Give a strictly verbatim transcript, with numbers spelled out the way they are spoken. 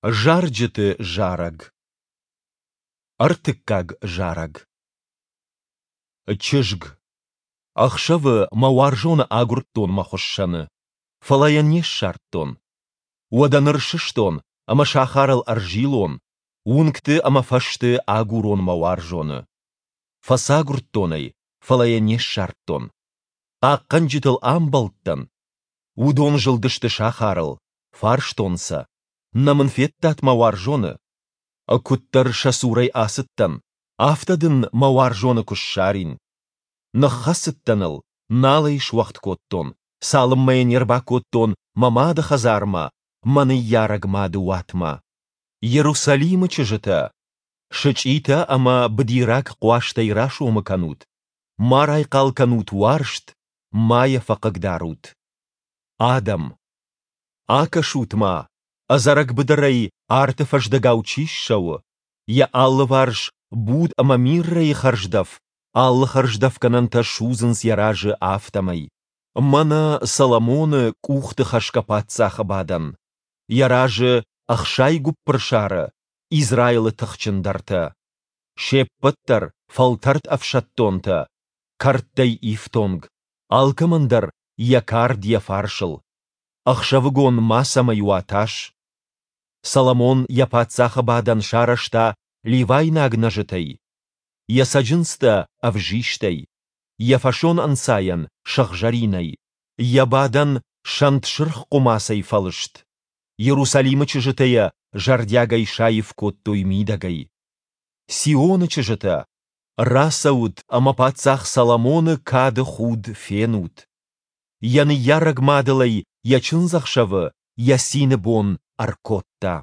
Зарджыты зарӕг. Ӕртыккаг зарӕг. Чызг. Ӕхсӕвы мӕ уарзоны агуырдтон мӕ хуыссӕны, фӕлӕ йӕ не ссардтон. Уӕдӕ ныр сыстон ӕмӕ сахарыл ӕрзилон, уынгты ӕмӕ фӕзты агурон мӕ уарзоны. Фӕцагуырдтон ӕй, фӕлӕ йӕ не ссардтон. Хъахъхъӕнджытыл амбӕлдтӕн. Уыдон зылдысты сахарыл, фарстон сӕ, Нӕ мын федтат мӕ уарзоны? Куыддӕр сӕ цурӕй ацыдтӕн, афтӕ дын мӕ уарзоны куы ссарин. Ныххӕцыдтӕн ыл, нал ӕй суӕгъд кодтон, цалынмӕ йӕ не рбакодтон мӕ мады хӕдзармӕ, мӕ ныййарӕг мады уатмӕ. Иерусалимы чызджытӕ, сычъитӕ ӕмӕ быдираг хъуазтӕй расомы кӕнут, ма райхъал кӕнут уарзт, ма йӕ фӕхъыгдарут. Адӕм. Акӕсут-ма, ӕдзӕрӕг быдырӕй арты фӕздӕгау чи ссӕуы, йӕ алыварс буд ӕмӕ миррӕйы хӕрздӕф, алы хӕрздӕфгӕнӕнтӕ судзынц йӕ разы, афтӕмӕй. Мӕнӕ Соломоны къухты хӕсгӕ паддзахы бадӕн, йӕ разы ӕхсай гуыппырсары, Израилы тыхджындӕртӕ. Се ппӕт дӕр фӕлтӕрд ӕфсӕддонтӕ, кӕрдтӕй ифтонг, алкӕмӕн дӕр йӕ кард йӕ фарсыл. Ӕхсӕвыгон мацӕмӕй уа тас. Соломон йӕ паддзахы бадӕн сарӕзта ливайнаг нӕзытӕй, йӕ цӕджындзтӕ ӕвзистӕй, йӕ фӕсонӕнцайӕн сыгъзӕринӕй, йӕ бадӕн сӕнт сырх хъуымацӕй фӕлыст. Иерусалимы чызджытӕ йӕ зӕрдиагӕй саив кодтой мидӕгӕй. Сионы чызджытӕ, рацӕут ӕмӕ паддзах Соломоны кады худ фенут. Йӕ ныййарӕг мад ыл ӕй йӕ чындзӕхсӕвы, йӕ цины бон ӕркодта.